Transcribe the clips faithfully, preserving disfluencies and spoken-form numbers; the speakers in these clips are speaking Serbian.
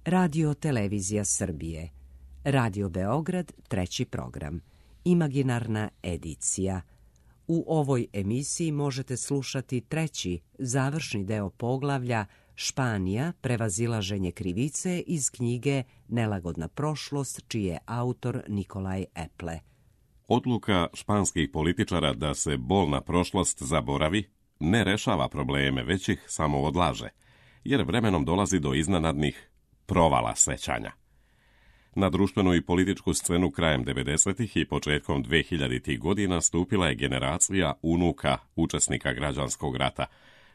Radio Televizija Srbije, Radio Beograd, treći program, Imaginarna edicija. U ovoj emisiji možete slušati treći, završni deo poglavlja Španija, prevazilaženje krivice iz knjige Nelagodna prošlost, čiji je autor Nikolaj Eple. Odluka španskih političara da se bolna prošlost zaboravi ne rešava probleme, već ih samo odlaže, jer vremenom dolazi do iznenadnih provala sećanja. Na društvenu i političku scenu krajem devedesetih i početkom dvehiljaditih godina stupila je generacija unuka učesnika građanskog rata,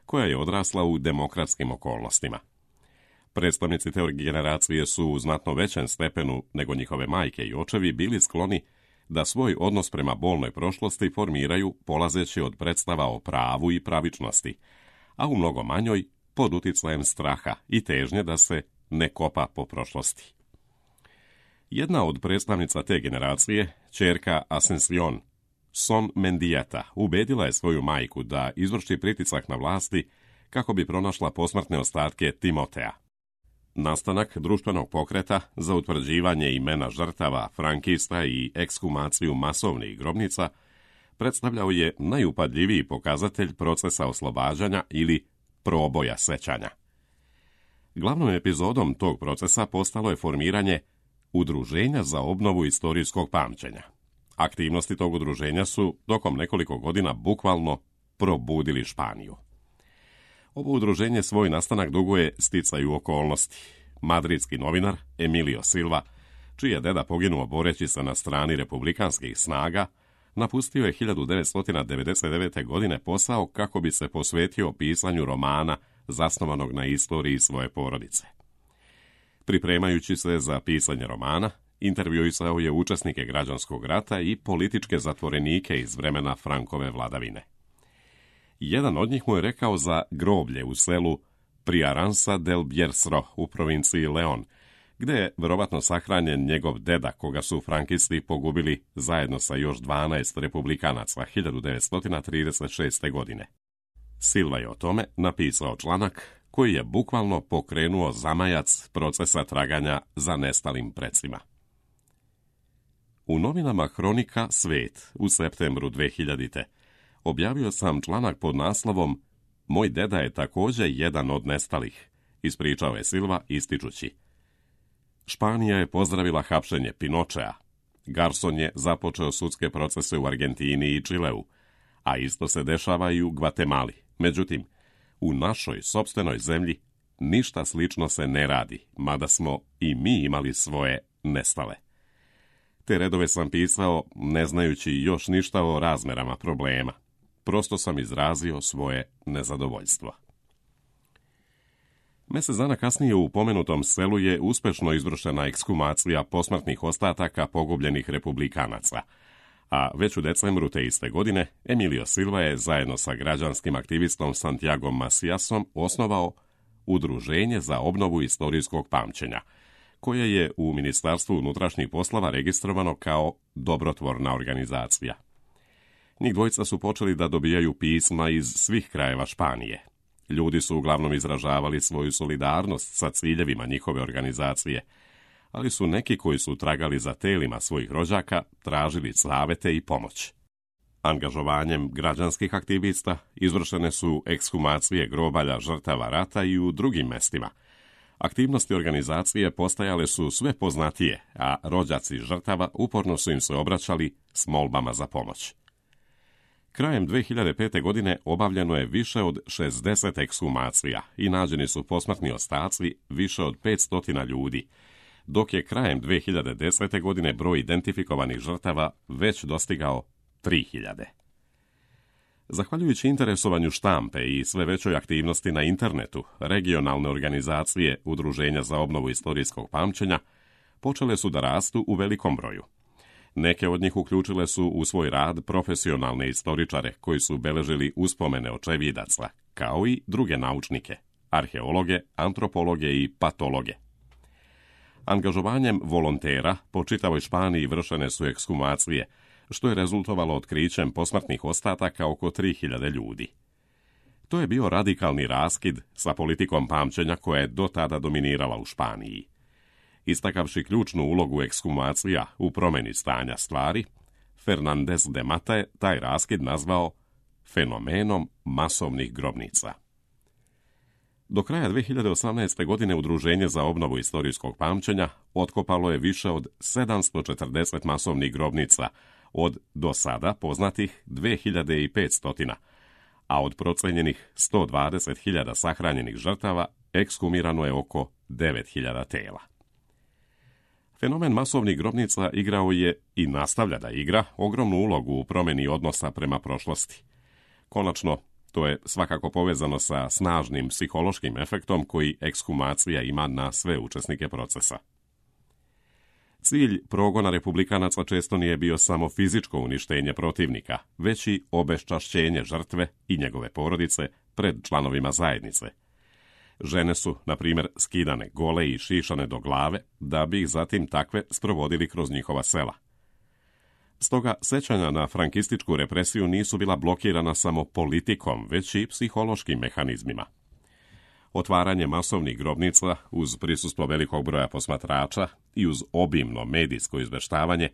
koja je odrasla u demokratskim okolnostima. Predstavnici te generacije su u znatno većem stepenu nego njihove majke i očevi bili skloni da svoj odnos prema bolnoj prošlosti formiraju polazeći od predstava o pravu i pravičnosti, a u mnogo manjoj pod uticajem straha i težnje da se ne kopa po prošlosti. Jedna od predstavnica te generacije, ćerka Asension, Son Mendieta, ubedila je svoju majku da izvrši pritisak na vlasti kako bi pronašla posmrtne ostatke Timotea. Nastanak društvenog pokreta za utvrđivanje imena žrtava frankista i ekshumaciju masovnih grobnica predstavljao je najupadljiviji pokazatelj procesa oslobađanja ili proboja sećanja. Glavnom epizodom tog procesa postalo je formiranje Udruženja za obnovu istorijskog pamćenja. Aktivnosti tog udruženja su tokom nekoliko godina bukvalno probudili Španiju. Ovo udruženje svoj nastanak duguje sticaju okolnosti. Madridski novinar Emilio Silva, čiji je deda poginuo boreći se na strani republikanskih snaga, napustio je hiljadu devetsto devedeset devete. godine posao kako bi se posvetio pisanju romana zasnovanog na istoriji svoje porodice. Pripremajući se za pisanje romana, intervjuisao je učesnike građanskog rata i političke zatvorenike iz vremena Frankove vladavine. Jedan od njih mu je rekao za groblje u selu Priaransa del Biersro u provinciji Leon, gde je verovatno sahranjen njegov deda, koga su frankisti pogubili zajedno sa još dvanaest republikanaca hiljadu devetsto trideset šeste. godine. Silva je o tome napisao članak koji je bukvalno pokrenuo zamajac procesa traganja za nestalim precima. U novinama Hronika Svet u septembru dvehiljadite. objavio sam članak pod naslovom Moj deda je također jedan od nestalih, ispričao je Silva ističući. Španija je pozdravila hapšenje Pinochea. Garson je započeo sudske procese u Argentini i Čileu, a isto se dešava i u Gvatemali. Međutim, u našoj sopstvenoj zemlji ništa slično se ne radi, mada smo i mi imali svoje nestale. Te redove sam pisao ne znajući još ništa o razmerama problema. Prosto sam izrazio svoje nezadovoljstvo. Mjesec dana kasnije u pomenutom selu je uspešno izvršena ekshumacija posmrtnih ostataka pogubljenih republikanaca, a već u decembru te iste godine Emilio Silva je zajedno sa građanskim aktivistom Santiagom Maciasom osnovao Udruženje za obnovu istorijskog pamćenja, koje je u Ministarstvu unutrašnjih poslova registrovano kao dobrotvorna organizacija. Njih dvojica su počeli da dobijaju pisma iz svih krajeva Španije. Ljudi su uglavnom izražavali svoju solidarnost sa ciljevima njihove organizacije, ali su neki koji su tragali za telima svojih rođaka tražili savete i pomoć. Angažovanjem građanskih aktivista izvršene su ekshumacije grobalja žrtava rata i u drugim mestima. Aktivnosti organizacije postajale su sve poznatije, a rođaci žrtava uporno su im se obraćali s molbama za pomoć. Krajem dve hiljade pete. godine obavljeno je više od šezdeset ekshumacija i nađeni su posmrtni ostaci više od petsto ljudi, dok je krajem dve hiljade desete. godine broj identifikovanih žrtava već dostigao tri hiljade. Zahvaljujući interesovanju štampe i sve većoj aktivnosti na internetu, regionalne organizacije Udruženja za obnovu istorijskog pamćenja počele su da rastu u velikom broju. Neke od njih uključile su u svoj rad profesionalne istoričare koji su beležili uspomene očevidaca, kao i druge naučnike, arheologe, antropologe i patologe. Angažovanjem volontera po čitavoj Španiji vršene su ekshumacije, što je rezultovalo otkrićem posmrtnih ostataka oko tri hiljade ljudi. To je bio radikalni raskid sa politikom pamćenja koja je do tada dominirala u Španiji. Istakavši ključnu ulogu ekshumacija u promjeni stanja stvari, Fernandez de Mata je taj raskid nazvao fenomenom masovnih grobnica. Do kraja dvije hiljade osamnaeste. godine Udruženje za obnovu istorijskog pamćenja otkopalo je više od sedamsto četrdeset masovnih grobnica od do sada poznatih dvije hiljade petsto, a od procenjenih sto dvadeset hiljada sahranjenih žrtava ekshumirano je oko devet hiljada tela. Fenomen masovnih grobnica igrao je i nastavlja da igra ogromnu ulogu u promjeni odnosa prema prošlosti. Konačno, to je svakako povezano sa snažnim psihološkim efektom koji ekshumacija ima na sve učesnike procesa. Cilj progona republikanaca često nije bio samo fizičko uništenje protivnika, već i obeščašćenje žrtve i njegove porodice pred članovima zajednice. Žene su, na primjer, skidane gole i šišane do glave, da bi ih zatim takve sprovodili kroz njihova sela. Stoga, sećanja na frankističku represiju nisu bila blokirana samo politikom, već i psihološkim mehanizmima. Otvaranje masovnih grobnica uz prisustvo velikog broja posmatrača i uz obimno medijsko izveštavanje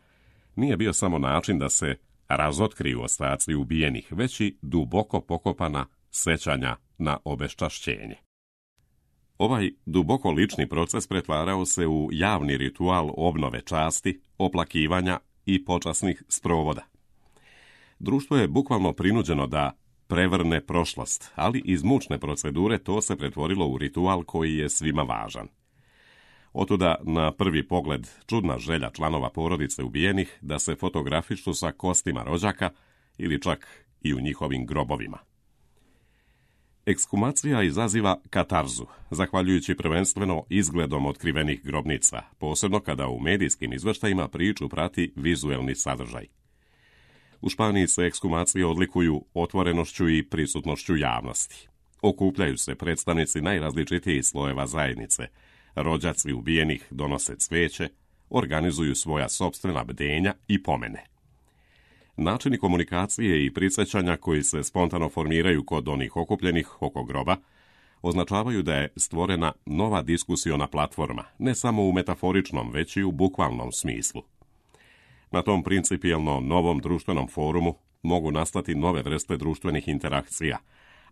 nije bio samo način da se razotkriju ostaci ubijenih, već i duboko pokopana sećanja na obeščašćenje. Ovaj duboko lični proces pretvarao se u javni ritual obnove časti, oplakivanja i počasnih sprovoda. Društvo je bukvalno prinuđeno da prevrne prošlost, ali iz mučne procedure to se pretvorilo u ritual koji je svima važan. Otuda na prvi pogled čudna želja članova porodice ubijenih da se fotografišu sa kostima rođaka ili čak i u njihovim grobovima. Ekshumacija izaziva katarzu, zahvaljujući prvenstveno izgledom otkrivenih grobnica, posebno kada u medijskim izveštajima priču prati vizuelni sadržaj. U Španiji se ekshumacije odlikuju otvorenošću i prisutnošću javnosti. Okupljaju se predstavnici najrazličitijih slojeva zajednice, rođaci ubijenih donose cvijeće, organizuju svoja sopstvena bdenja i pomene. Načini komunikacije i prisjećanja koji se spontano formiraju kod onih okupljenih oko groba označavaju da je stvorena nova diskusiona platforma, ne samo u metaforičnom, već i u bukvalnom smislu. Na tom principijelno novom društvenom forumu mogu nastati nove vrste društvenih interakcija,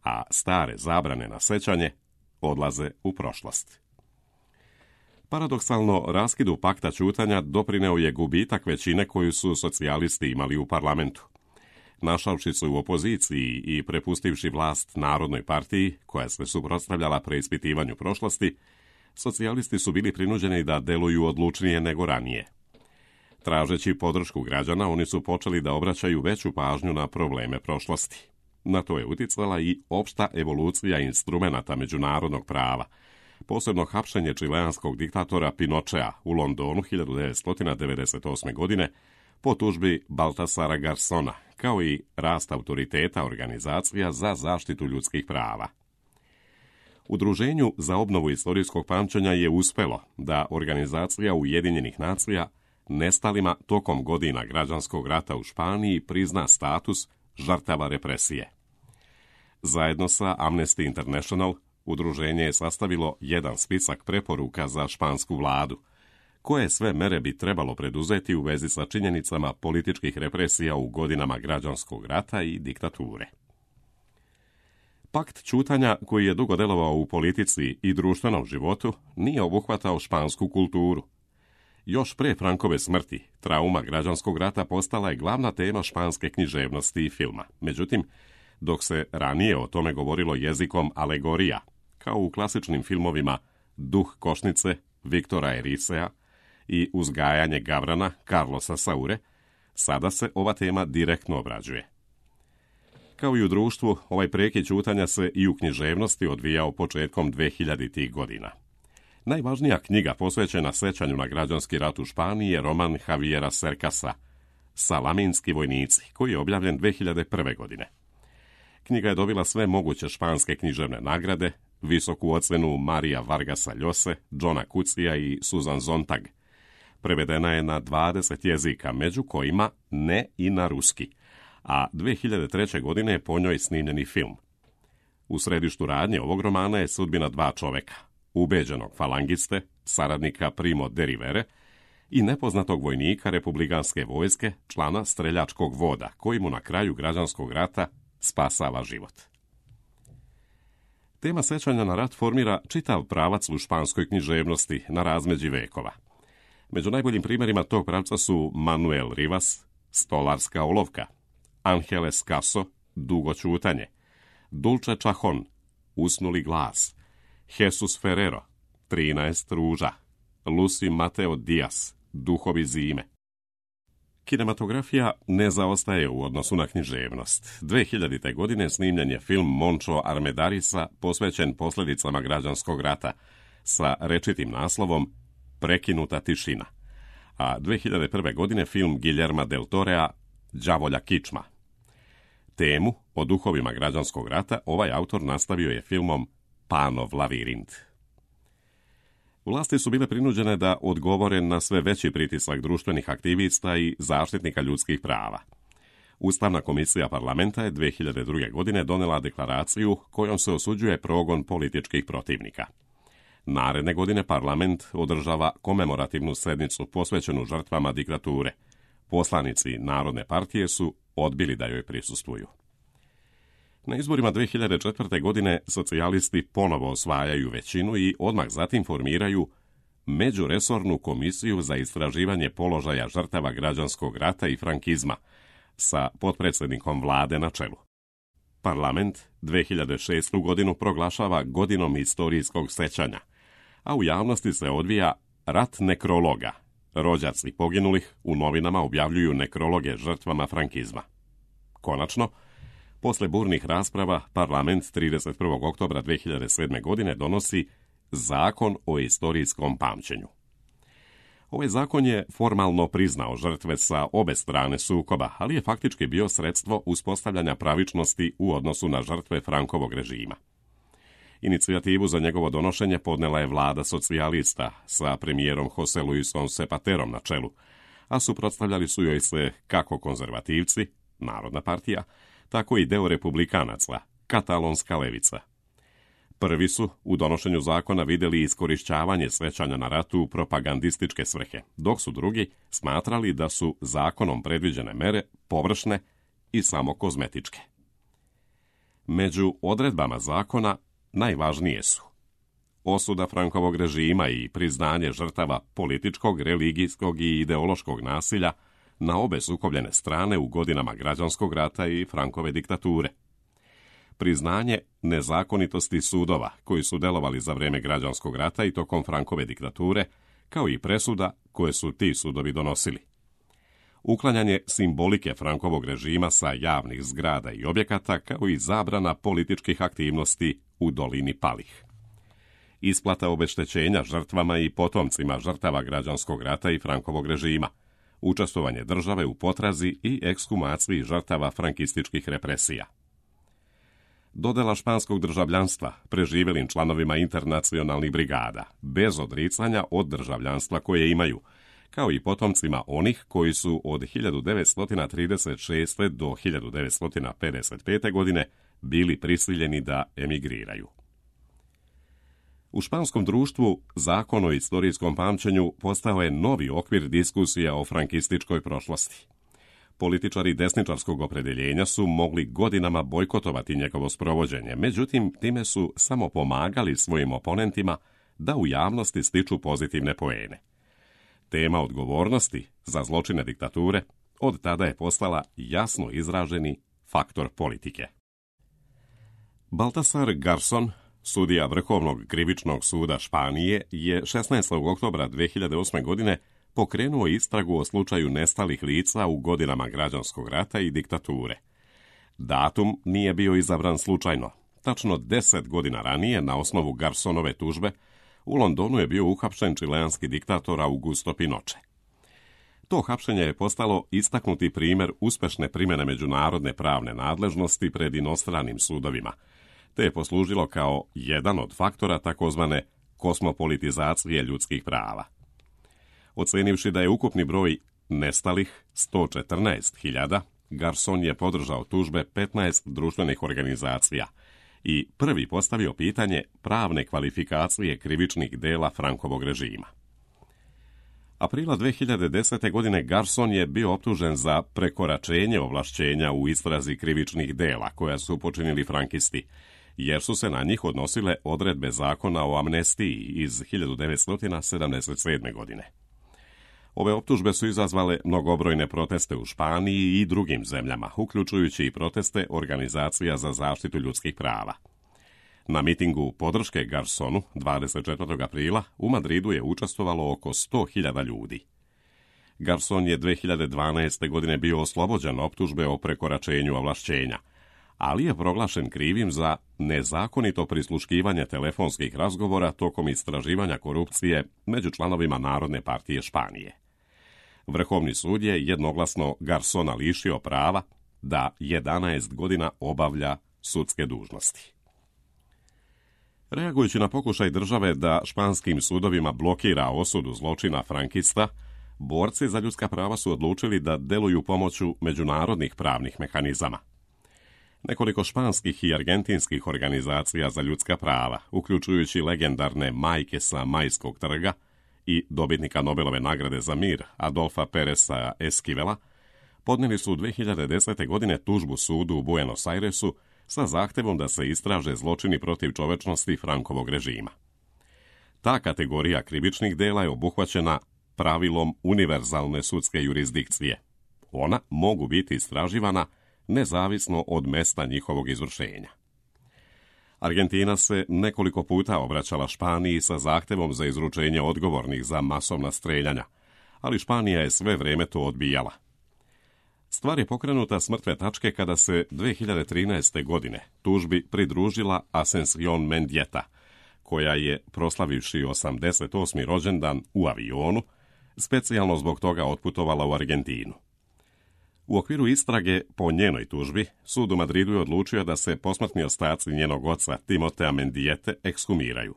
a stare zabrane na sećanje odlaze u prošlost. Paradoksalno, raskidu pakta ćutanja doprineo je gubitak većine koju su socijalisti imali u parlamentu. Našavši se u opoziciji i prepustivši vlast Narodnoj partiji, koja se suprotstavljala preispitivanju prošlosti, socijalisti su bili prinuđeni da deluju odlučnije nego ranije. Tražeći podršku građana, oni su počeli da obraćaju veću pažnju na probleme prošlosti. Na to je uticala i opšta evolucija instrumenata međunarodnog prava, posebno hapšenje čileanskog diktatora Pinochea u Londonu hiljadu devetsto devedeset osme. godine po tužbi Baltasara Garsona, kao i rast autoriteta organizacija za zaštitu ljudskih prava. Udruženju za obnovu istorijskog pamćenja je uspelo da Organizacija Ujedinjenih nacija nestalima tokom godina građanskog rata u Španiji prizna status žrtava represije. Zajedno sa Amnesty International, udruženje je sastavilo jedan spisak preporuka za špansku vladu, koje sve mere bi trebalo preduzeti u vezi sa činjenicama političkih represija u godinama građanskog rata i diktature. Pakt ćutanja, koji je dugo delovao u politici i društvenom životu, nije obuhvatao špansku kulturu. Još pre Frankove smrti, trauma građanskog rata postala je glavna tema španske književnosti i filma. Međutim, dok se ranije o tome govorilo jezikom alegorija, kao u klasičnim filmovima Duh košnice Viktora Erisea i Uzgajanje gavrana Carlosa Saure, sada se ova tema direktno obrađuje. Kao i u društvu, ovaj prekid ćutanja se i u književnosti odvijao početkom dvehiljaditih godina. Najvažnija knjiga posvećena sećanju na građanski rat u Španiji je roman Javiera Cercasa, Salaminski vojnici, koji je objavljen dve hiljade prve. godine. Knjiga je dobila sve moguće španske književne nagrade, visoku ocenu Marija Vargasa Llose, Johna Cucija i Susan Sontag. Prevedena je na dvadeset jezika, među kojima ne i na ruski, a dve hiljade treće. godine je po njoj snimljeni film. U središtu radnje ovog romana je sudbina dva čoveka, ubeđenog falangiste saradnika Primo de Rivere, i nepoznatog vojnika republikanske vojske, člana streljačkog voda, koji mu na kraju građanskog rata spasava život. Tema sećanja na rat formira čitav pravac u španskoj književnosti na razmeđi vekova. Među najboljim primjerima tog pravca su Manuel Rivas, Stolarska olovka, Angeles Caso, Dugo ćutanje, Dulce Chahon, Usnuli glas, Jesus Ferrero, trinaest ruža, Lucy Mateo Diaz, Duhovi zime. Kinematografija ne zaostaje u odnosu na književnost. dve hiljadite. godine snimljen je film Moncho Armedarisa posvećen posljedicama građanskog rata sa rečitim naslovom Prekinuta tišina, a dve hiljade prve. godine film Guillerma del Torea Đavolja kičma. Temu o duhovima građanskog rata ovaj autor nastavio je filmom Panov lavirint. Vlasti su bile prinuđene da odgovore na sve veći pritisak društvenih aktivista i zaštitnika ljudskih prava. Ustavna komisija parlamenta je dve hiljade druge. godine donela deklaraciju kojom se osuđuje progon političkih protivnika. Naredne godine parlament održava komemorativnu sednicu posvećenu žrtvama diktature. Poslanici Narodne partije su odbili da joj prisustvuju. Na izborima dve hiljade četvrte. godine socijalisti ponovo osvajaju većinu i odmah zatim formiraju Međuresornu komisiju za istraživanje položaja žrtava građanskog rata i frankizma sa potpredsjednikom vlade na čelu. Parlament dve hiljade šeste. godinu proglašava godinom istorijskog sećanja, a u javnosti se odvija rat nekrologa. Rođaci poginulih u novinama objavljuju nekrologe žrtvama frankizma. Konačno, posle burnih rasprava, parlament trideset prvog oktobra dve hiljade sedme. godine donosi Zakon o istorijskom pamćenju. Ovaj zakon je formalno priznao žrtve sa obe strane sukoba, ali je faktički bio sredstvo uspostavljanja pravičnosti u odnosu na žrtve Frankovog režima. Inicijativu za njegovo donošenje podnela je vlada socijalista sa premijerom Jose Luisom Zapaterom na čelu, a suprotstavljali su joj se kako konzervativci, Narodna partija, tako i deo republikanaca, katalonska levica. Prvi su u donošenju zakona vidjeli iskorišćavanje sećanja na ratu u propagandističke svrhe, dok su drugi smatrali da su zakonom predviđene mere površne i samo kozmetičke. Među odredbama zakona najvažnije su osuda Frankovog režima i priznanje žrtava političkog, religijskog i ideološkog nasilja na obe sukobljene strane u godinama građanskog rata i Frankove diktature. Priznanje nezakonitosti sudova koji su delovali za vrijeme građanskog rata i tokom Frankove diktature, kao i presuda koje su ti sudovi donosili. Uklanjanje simbolike Frankovog režima sa javnih zgrada i objekata, kao i zabrana političkih aktivnosti u dolini Palih. Isplata obeštećenja žrtvama i potomcima žrtava građanskog rata i Frankovog režima. Učestvovanje države u potrazi i ekshumaciji žrtava frankističkih represija. Dodela španskog državljanstva preživjelim članovima internacionalnih brigada, bez odricanja od državljanstva koje imaju, kao i potomcima onih koji su od hiljadu devetsto trideset šeste. do hiljadu devetsto pedeset pete. godine bili prisiljeni da emigriraju. U španskom društvu Zakon o istorijskom pamćenju postao je novi okvir diskusija o frankističkoj prošlosti. Političari desničarskog opredjeljenja su mogli godinama bojkotovati njegovo sprovođenje, međutim, time su samo pomagali svojim oponentima da u javnosti stiču pozitivne poene. Tema odgovornosti za zločine diktature od tada je postala jasno izraženi faktor politike. Baltasar Garzón, sudija Vrhovnog krivičnog suda Španije, je šesnaestog oktobra dve hiljade osme. godine pokrenuo istragu o slučaju nestalih lica u godinama građanskog rata i diktature. Datum nije bio izabran slučajno. Tačno deset godina ranije, na osnovu Garsonove tužbe, u Londonu je bio uhapšen čileanski diktator Augusto Pinochet. To hapšenje je postalo istaknuti primjer uspešne primjene međunarodne pravne nadležnosti pred inostranim sudovima, te je poslužilo kao jedan od faktora takozvane kosmopolitizacije ljudskih prava. Ocenivši da je ukupni broj nestalih sto četrnaest hiljada, Garzón je podržao tužbe petnaest društvenih organizacija i prvi postavio pitanje pravne kvalifikacije krivičnih dela Frankovog režima. Aprila dve hiljade desete. godine Garson je bio optužen za prekoračenje ovlašćenja u istrazi krivičnih dela koja su počinili frankisti, jer su se na njih odnosile odredbe zakona o amnestiji iz hiljadu devetsto sedamdeset sedme. godine. Ove optužbe su izazvale mnogobrojne proteste u Španiji i drugim zemljama, uključujući i proteste organizacija za zaštitu ljudskih prava. Na mitingu podrške Garsonu dvadeset četvrtog aprila u Madridu je učestvovalo oko sto hiljada ljudi. Garson je dve hiljade dvanaeste. godine bio oslobođen optužbe o prekoračenju ovlašćenja, ali je proglašen krivim za nezakonito prisluškivanje telefonskih razgovora tokom istraživanja korupcije među članovima Narodne partije Španije. Vrhovni sud je jednoglasno Garsona lišio prava da jedanaest godina obavlja sudske dužnosti. Reagujući na pokušaj države da španskim sudovima blokira osudu zločina frankista, borci za ljudska prava su odlučili da deluju pomoću međunarodnih pravnih mehanizama. Nekoliko španskih i argentinskih organizacija za ljudska prava, uključujući legendarne majke sa Majskog trga i dobitnika Nobelove nagrade za mir Adolfa Pereza Esquivela, podnijeli su dve hiljade desete. godine tužbu sudu u Buenos Airesu sa zahtevom da se istraže zločini protiv čovečnosti Frankovog režima. Ta kategorija krivičnih dela je obuhvaćena pravilom univerzalne sudske jurisdikcije. Ona mogu biti istraživana nezavisno od mesta njihovog izvršenja. Argentina se nekoliko puta obraćala Španiji sa zahtevom za izručenje odgovornih za masovna streljanja, ali Španija je sve vrijeme to odbijala. Stvar je pokrenuta s mrtve tačke kada se dve hiljade trinaeste. godine tužbi pridružila Asención Mendieta, koja je, proslavivši osamdeset osmi rođendan u avionu, specijalno zbog toga otputovala u Argentinu. U okviru istrage po njenoj tužbi, sud u Madridu je odlučio da se posmrtni ostaci njenog oca Timotea Mendiete ekshumiraju.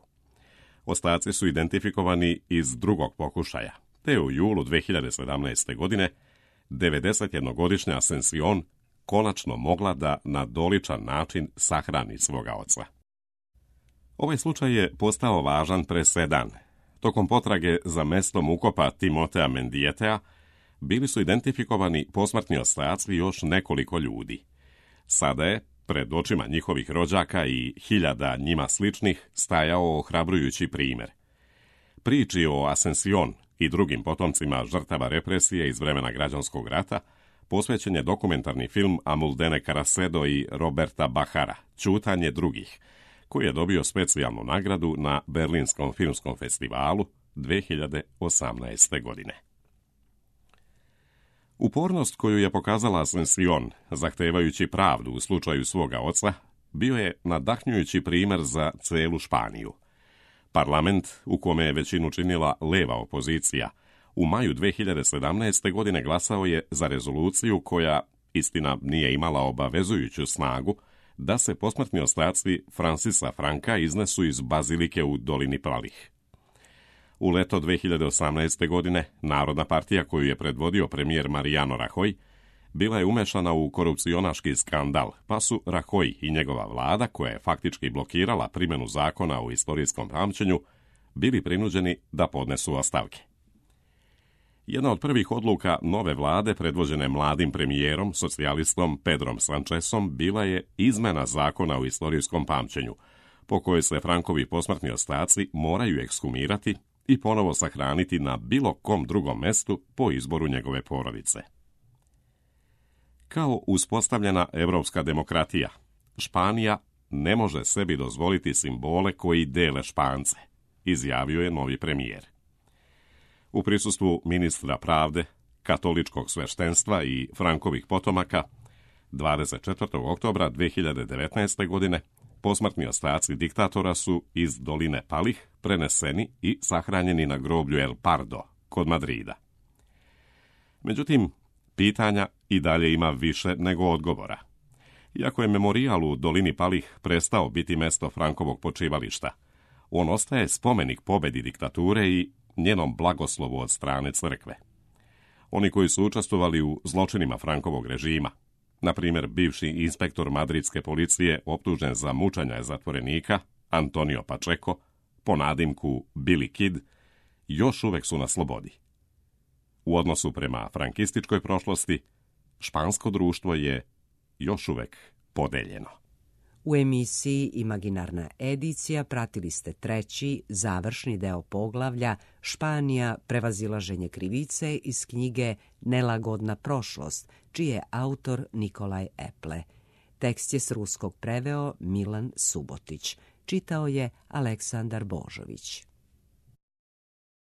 Ostaci su identifikovani iz drugog pokušaja, te u julu dve hiljade sedamnaeste. godine devedesetjednogodišnja Asención konačno mogla da na doličan način sahrani svoga oca. Ovaj slučaj je postao važan presedan. Tokom potrage za mestom ukopa Timotea Mendietea bili su identifikovani posmrtni ostaci još nekoliko ljudi. Sada je, pred očima njihovih rođaka i hiljada njima sličnih, stajao ohrabrujući primjer. Priči o Asención i drugim potomcima žrtava represije iz vremena građanskog rata posvećen je dokumentarni film Amuldene Caracedo i Roberta Bajara, Ćutanje drugih, koji je dobio specijalnu nagradu na Berlinskom filmskom festivalu dve hiljade osamnaeste. godine. Upornost koju je pokazala Asención, zahtevajući pravdu u slučaju svoga oca, bio je nadahnjujući primjer za celu Španiju. Parlament, u kome je većinu činila leva opozicija, u maju dve hiljade sedamnaeste. godine glasao je za rezoluciju koja, istina, nije imala obavezujuću snagu, da se posmrtni ostaci Francisa Franka iznesu iz bazilike u dolini Palih. U leto dve hiljade osamnaeste. godine Narodna partija koju je predvodio premijer Mariano Rajoy bila je umešana u korupcionaški skandal, pa su Rajoy i njegova vlada, koja je faktički blokirala primjenu zakona o istorijskom pamćenju, bili prinuđeni da podnesu ostavke. Jedna od prvih odluka nove vlade, predvođene mladim premijerom, socijalistom Pedrom Sanchezom, bila je izmena zakona o istorijskom pamćenju, po kojoj se Frankovi posmrtni ostaci moraju ekshumirati i ponovo sahraniti na bilo kom drugom mestu po izboru njegove porodice. Kao uspostavljena evropska demokratija, Španija ne može sebi dozvoliti simbole koji dele Špance, izjavio je novi premijer. U prisustvu ministra pravde, katoličkog sveštenstva i Frankovih potomaka, dvadeset četvrtog oktobra dve hiljade devetnaeste. godine posmrtni ostaci diktatora su iz doline Palih preneseni i sahranjeni na groblju El Pardo kod Madrida. Međutim, pitanja i dalje ima više nego odgovora. Iako je memorijal u dolini Palih prestao biti mesto Frankovog počivališta, on ostaje spomenik pobedi diktature i njenom blagoslovu od strane crkve. Oni koji su učestvovali u zločinima Frankovog režima, Na primjer, bivši inspektor madridske policije optužen za mučenje zatvorenika, Antonio Pacheco, po nadimku Billy Kid, još uvek su na slobodi. U odnosu prema frankističkoj prošlosti, špansko društvo je još uvek podeljeno. U emisiji Imaginarna edicija pratili ste treći, završni deo poglavlja Španija, prevazilaženje krivice iz knjige Nelagodna prošlost, čiji je autor Nikolaj Eple. Tekst je s ruskog preveo Milan Subotić. Čitao je Aleksandar Božović.